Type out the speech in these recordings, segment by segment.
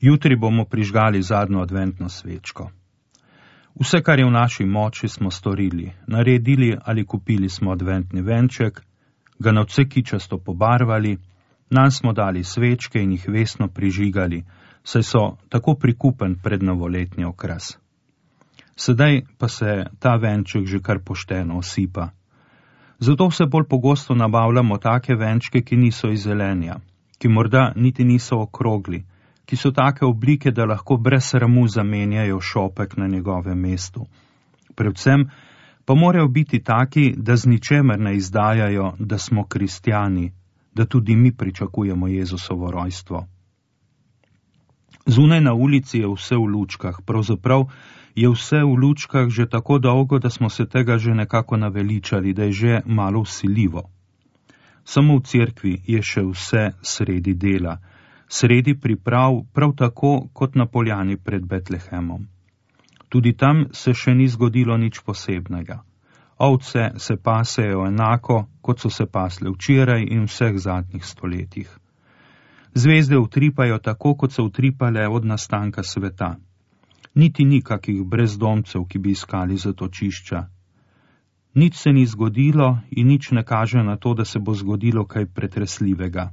Jutri bomo prižgali zadnjo adventno svečko. Vse, kar je v naši moči, smo storili. Naredili ali kupili smo adventni venček, ga nadvse kičasto pobarvali, nanj smo dali svečke in jih vestno prižigali, saj so tako prikupen prednovoletni okras. Sedaj pa se ta venček že kar pošteno osipa. Zato vse bolj pogosto nabavljamo take venčke, ki niso iz zelenja, ki morda niti niso okrogli, ki so take oblike, da lahko brez sramu zamenjajo šopek na njegovem mestu. Predvsem pa morajo biti taki, da z ničemer ne izdajajo, da smo kristjani, da tudi mi pričakujemo Jezusovo rojstvo. Zunaj na ulici je vse v lučkah, pravzaprav je vse v lučkah že tako dolgo, da smo se tega že nekako naveličali, da je že malo vsiljivo. Samo v cerkvi je še vse sredi dela, sredi priprav, prav tako kot na poljani pred Betlehemom. Tudi tam se še ni zgodilo nič posebnega. Ovce se pasejo enako, kot so se pasle včeraj in vseh zadnjih stoletjih. Zvezde utripajo tako, kot so utripale od nastanka sveta. Niti ni kakih brezdomcev, ki bi iskali zatočišča. Nič se ni zgodilo in nič ne kaže na to, da se bo zgodilo kaj pretresljivega.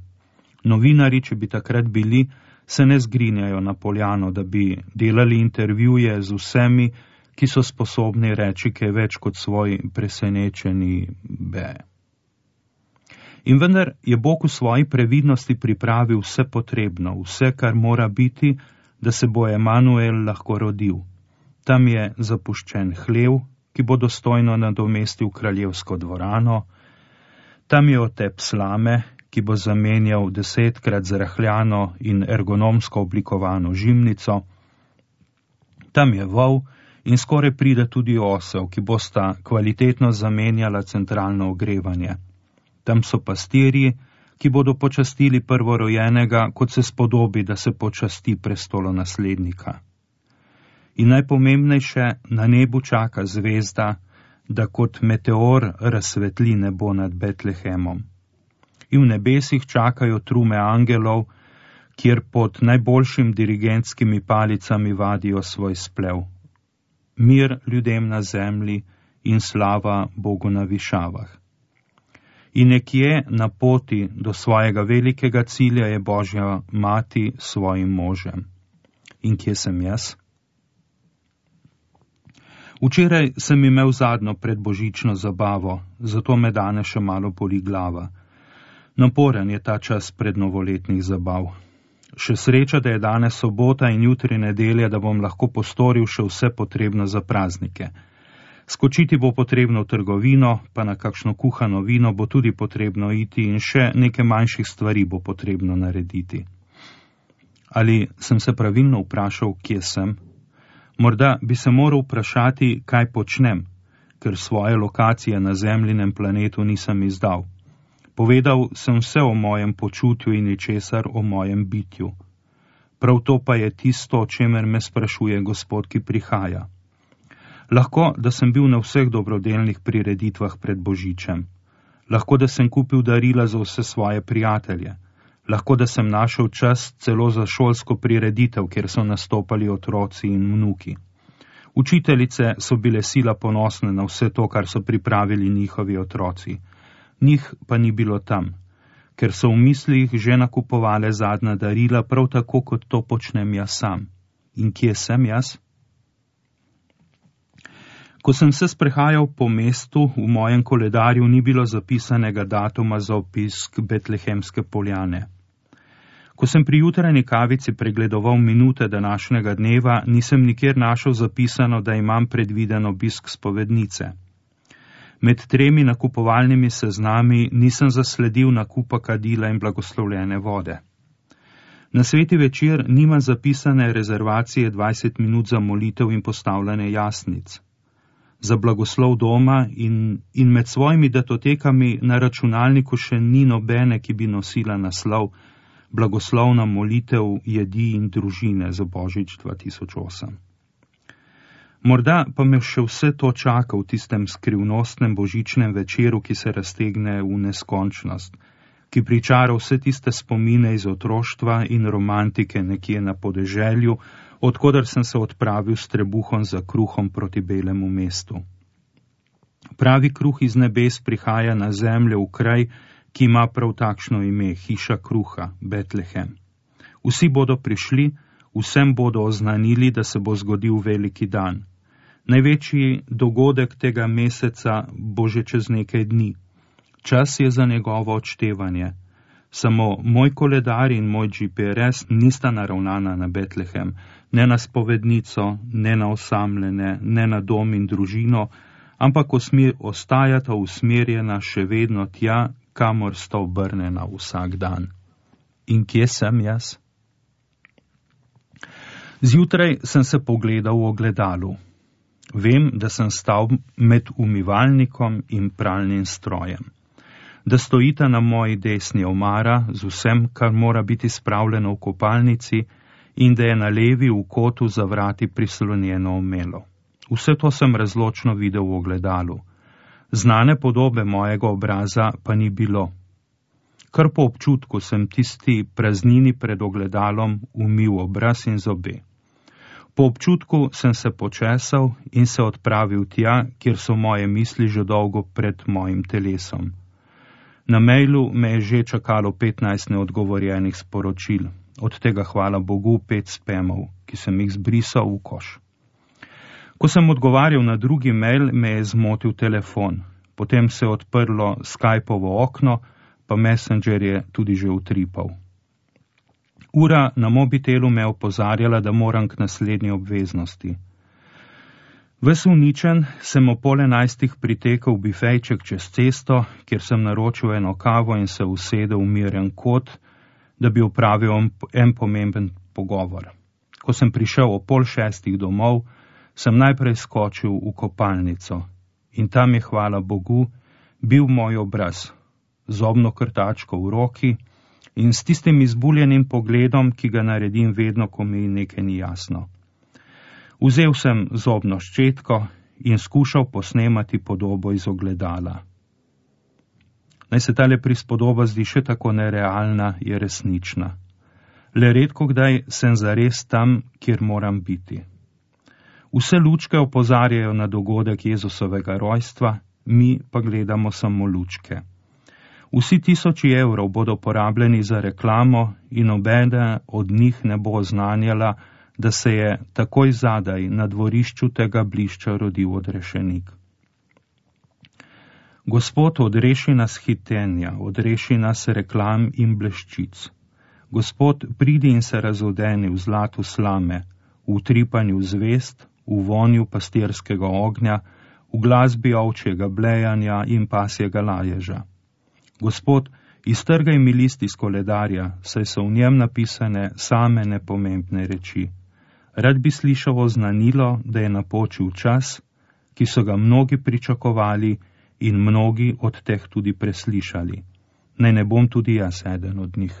Novinari, če bi takrat bili, se ne zgrinjajo na poljano, da bi delali intervjuje z vsemi, ki so sposobni reči kaj več kot svoj presenečeni be. In vendar je Bog v svoji previdnosti pripravil vse potrebno, vse, kar mora biti, da se bo Emanuel lahko rodil. Tam je zapuščen hlev, ki bo dostojno nadomestil kraljevsko dvorano, tam je otep slame, ki bo zamenjal 10-krat zrahljano in ergonomsko oblikovano žimnico, tam je vol in skoraj pride tudi osel, ki bosta kvalitetno zamenjala centralno ogrevanje. Tam so pastirji, ki bodo počastili prvorojenega, kot se spodobi, da se počasti prestolonaslednika. In najpomembnejše, na nebu čaka zvezda, da kot meteor razsvetli nebo nad Betlehemom. In v nebesih čakajo trume angelov, kjer pod najboljšim dirigentskimi palicami vadijo svoj splev. Mir ljudem na zemlji in slava Bogu na višavah. In nekje na poti do svojega velikega cilja je Božja mati s svojim možem. In kje sem jaz? Včeraj sem imel zadnjo predbožično zabavo, zato me danes še malo boli glava. Naporen je ta čas prednovoletnih zabav. Še sreča, da je danes sobota in jutri nedelja, da bom lahko postoril še vse potrebno za praznike. Skočiti bo potrebno v trgovino, pa na kakšno kuhano vino bo tudi potrebno iti in še nekaj manjših stvari bo potrebno narediti. Ali sem se pravilno vprašal, kje sem? Morda bi se moral vprašati, kaj počnem, ker svoje lokacije na zemljinem planetu nisem izdal. Povedal sem vse o mojem počutju in ničesar o mojem bitju. Prav to pa je tisto, o čemer me sprašuje Gospod, ki prihaja. Lahko, da sem bil na vseh dobrodelnih prireditvah pred Božičem. Lahko, da sem kupil darila za vse svoje prijatelje. Lahko, da sem našel čas celo za šolsko prireditev, kjer so nastopali otroci in vnuki. Učiteljice so bile sila ponosne na vse to, kar so pripravili njihovi otroci. Njih pa ni bilo tam, ker so v mislih že nakupovale zadnja darila, prav tako, kot to počnem jaz sam. In kje sem jaz? Ko sem se sprehajal po mestu, v mojem koledarju ni bilo zapisanega datuma za obisk Betlehemske poljane. Ko sem pri jutranji kavici pregledoval minute današnjega dneva, nisem nikjer našel zapisano, da imam predviden obisk spovednice. Med 3 nakupovalnimi seznami nisem zasledil nakupa kadila in blagoslovljene vode. Na sveti večer nima zapisane rezervacije 20 minut za molitev in postavljanje jasnic. Za blagoslov doma in med svojimi datotekami na računalniku še ni nobene, ki bi nosila naslov Blagoslovna molitev jedi in družine za Božič 2008. Morda pa me še vse to čaka v tistem skrivnostnem božičnem večeru, ki se raztegne v neskončnost, ki pričara vse tiste spomine iz otroštva in romantike nekje na podeželju, odkoder sem se odpravil s trebuhom za kruhom proti belemu mestu. Pravi kruh iz nebes prihaja na zemljo v kraj, ki ima prav takšno ime, hiša kruha, Betlehem. Vsi bodo prišli, vsem bodo oznanili, da se bo zgodil veliki dan. Največji dogodek tega meseca bo že čez nekaj dni. Čas je za njegovo odštevanje. Samo moj koledar in moj GPRS nista naravnana na Betlehem, ne na spovednico, ne na osamljene, ne na dom in družino, ampak ostajata usmerjena še vedno tja, kamor sta obrnjena vsak dan. In kje sem jaz? Zjutraj sem se pogledal v ogledalu. Vem, da sem stal med umivalnikom in pralnim strojem. Da stojita na moji desni omara z vsem, kar mora biti spravljeno v kopalnici, in da je na levi v kotu za vrati prislonjeno omelo. Vse to sem razločno videl v ogledalu. Znane podobe mojega obraza pa ni bilo. Kar po občutku sem tisti praznini pred ogledalom umil obraz in zobe. Po občutku sem se počesal in se odpravil tja, kjer so moje misli že dolgo pred mojim telesom. Na mailu me je že čakalo 15 neodgovorjenih sporočil, od tega hvala Bogu 5 spamov, ki sem jih zbrisal v koš. Ko sem odgovarjal na drugi mail, me je zmotil telefon, potem se je odprlo Skypovo okno, pa Messenger je tudi že utripal. Ura na mobitelu me je opozarjala, da moram k naslednji obveznosti. Ves uničen sem o 10:30 pritekel v bifejček čez cesto, kjer sem naročil eno kavo in se usedel v miren kot, da bi opravil en pomemben pogovor. Ko sem prišel o 5:30 domov, sem najprej skočil v kopalnico in tam je, hvala Bogu, bil moj obraz, zobno krtačko v roki in s tistim izbuljenim pogledom, ki ga naredim vedno, ko mi nekaj ni jasno. Vzel sem zobno ščetko in skušal posnemati podobo iz ogledala. Naj se tale prispodoba zdi še tako nerealna, je resnična. Le redko kdaj sem zares tam, kjer moram biti. Vse lučke opozarjajo na dogodek Jezusovega rojstva, mi pa gledamo samo lučke. Vsi 1000 evrov bodo porabljeni za reklamo in nobena od njih ne bo oznanjala, da se je takoj zadaj na dvorišču tega blišča rodil odrešenik. Gospod, odreši nas hitenja, odreši nas reklam in bleščic. Gospod, pridi in se razodeni v zlatu slame, v utripanju zvest, v vonju pastirskega ognja, v glasbi ovčjega blejanja in pasjega laježa. Gospod, iztrgaj mi list iz koledarja, saj so v njem napisane same nepomembne reči. Rad bi slišal oznanilo, da je napočil čas, ki so ga mnogi pričakovali in mnogi od teh tudi preslišali. Naj ne bom tudi jaz eden od njih.